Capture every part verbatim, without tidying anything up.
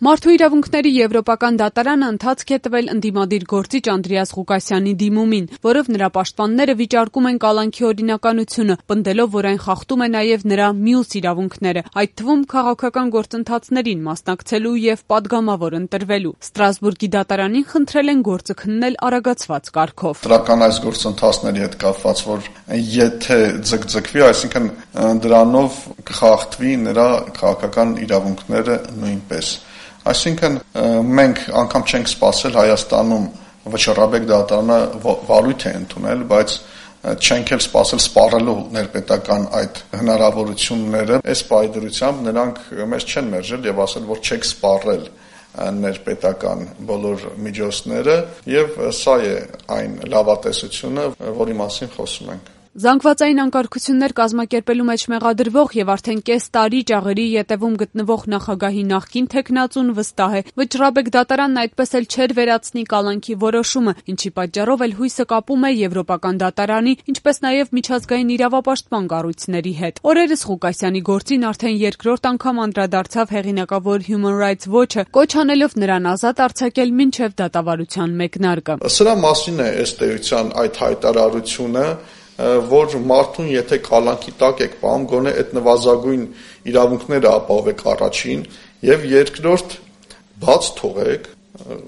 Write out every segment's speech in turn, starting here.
Մարդու իրավունքների եվրոպական դատարանը ընթացք է տվել ընդդիմադիր գործիչ Անդրեաս Ղուկասյանի դիմումին, որով նրա պաշտպանները վիճարկում են կալանքի օրինականությունը, պնդելով, որ այն խախտում է նաև նրա մյուս իրավունքները, այդ թվում քաղաքական գործընթացներին մասնակցելու եւ պատգամավոր ընտրվելու։ Ստրասբուրգի դատարանին խնդրել են գործը քննել արագացված կարգով։ Դրական այս գործընթացների հետ կապված, որ եթե ձգձգվի, այսինքն դրանով կխախտվի նրա քաղաքական իրավունքները նույնպես։ Այսինքն մենք անգամ չենք սպասել Հայաստանում վճռաբեկ դատարանը վարույթ է ընդունել, բայց չենք էլ սպասել սպառելու ներպետական այդ հնարավորությունները։ Այս պայդրությամբ նրանք մեզ չեն մերժել եւ ասել, որ չեք սպառել ներպետական բոլոր միջոցները, եւ սա է այն լավատեսությունը, որի մասին խոսում ենք։ Զանգվածային անկարգություններ կազմակերպելու մեջ մեղադրվող եւ արդեն կես տարի ճաղերի ետևում գտնվող նախագահի նախկին թեկնածուն վստահ է, վճռաբեկ դատարանն այդպես էլ չէր վերացնի կալանքի որոշումը, ինչի պատճառով էլ հույսը կապում է եվրոպական դատարանի, ինչպես նաեւ միջազգային իրավապաշտպան կառույցների հետ։ Օրերս Ղուկասյանի գործին արդեն երկրորդ անգամ անդրադարձավ հեղինակավոր Human Rights Watch-ը, կոչ անելով նրան ազատ արձակել մինչեւ դատավարության մեկնարկը։ Սրա մասին է ըստ էության այդ հայտարարությունը, որ մարդուն եթե կալանքի տակ եք պահում, գոնե այդ նվազագույն իրավունքները ապահովեք առաջին եւ երկրորդ բաց թողեք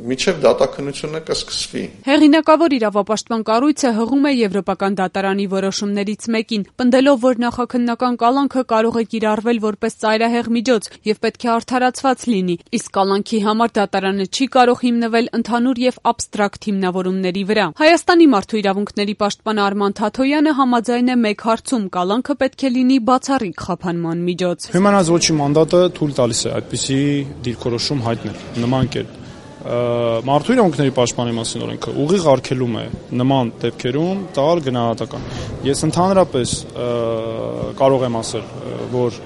միջև դատաքննությունը կսկսվի։ Հեղինակավոր իրավապաշտպան կառույցը հղում է եվրոպական դատարանի որոշումներից մեկին, պնդելով, որ նախաքննական կալանքը կարող է կիրառվել որպես ծայրահեղ միջոց եւ պետք է արդարացված լինի, իսկ կալանքի համար դատարանը չի կարող հիմնվել ընդհանուր եւ աբստրակտ հիմնավորումների վրա։ Հայաստանի մարդու իրավունքների պաշտպան Արման Թաթոյանը համաձայն է մեկ հարցում՝ կալանքը պետք է լինի բացառիկ խափանման միջոց։ Human Rights Watch-ի մանդատը թույլ տալիս է այդպիսի դիրքորոշում հայտնել նման կերպ։ Մարդու իրավունքների պաշտպանի մասին օրենքը ուղիղ արգելում է նման դեպքերում տալ գնահատական։ Ես ընդհանրապես կարող եմ ասել, որ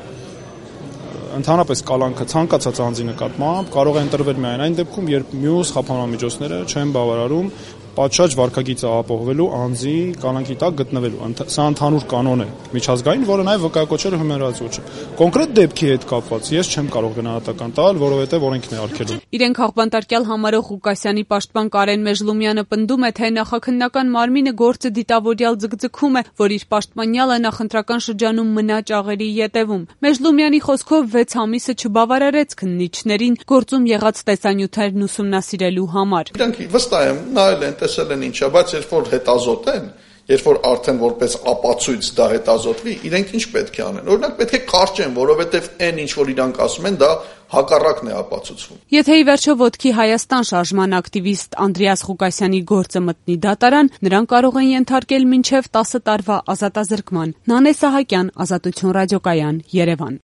ընդհանրապես կալանքը ցանկացած անձի նկատմամբ կարող է ընտրվել միայն այն դեպքում, երբ մյուս խափանման միջոցները չեն բավարարում պատշաճ վարքագիծը ապահովելու անձի կալանքի տակ գտնվելու։ Սա ընդհանուր կանոն է միջազգային, որը նաև վկայակոչել է Human Rights Watch-ը։ Կոնկրետ դեպքի հետ կապված ես չեմ կարող գնահատական տալ, որովհետև օրենքն է արգելում։ Իրեն քաղբանտարկյալ համարող Ղուկասյանի պաշտպան Կարեն Մեժլումյանը պնդում է, թե նախաքննական մարմինը գործը դիտավորյալ ձգձգում է, որ իր պաշտպանյալը նախընտրական շրջանում մնա ճաղերի ետևում։ Մեժլումյանի խոսքով վեց ամիսը չբավարարեց քննիչներին գործում եղած տեսանյութերն ուսումնասիրելու համար։ Իրանք վստահ եմ նայել են, տեսել են ինչա, բայց երբ որ հետազոտ են, երբ որ արդեն որպես ապացույց դա հետազոտվի, իրենք ինչ պետք է անեն։ Օրինակ պետք է կարճեն, որովհետև այն ինչ որ իրանք ասում են, դա հակառակն է ապացուցվում։ Եթե ի վերջո ոտքի Հայաստան շարժման ակտիվիստ Անդրեաս Ղուկասյանի գործը մտնի դատարան, նրան կարող են ենթարկել մինչև տասը տարվա ազատազրկման։ Նանե Սահակյան, Ազատություն ռադիոկայան, Երևան։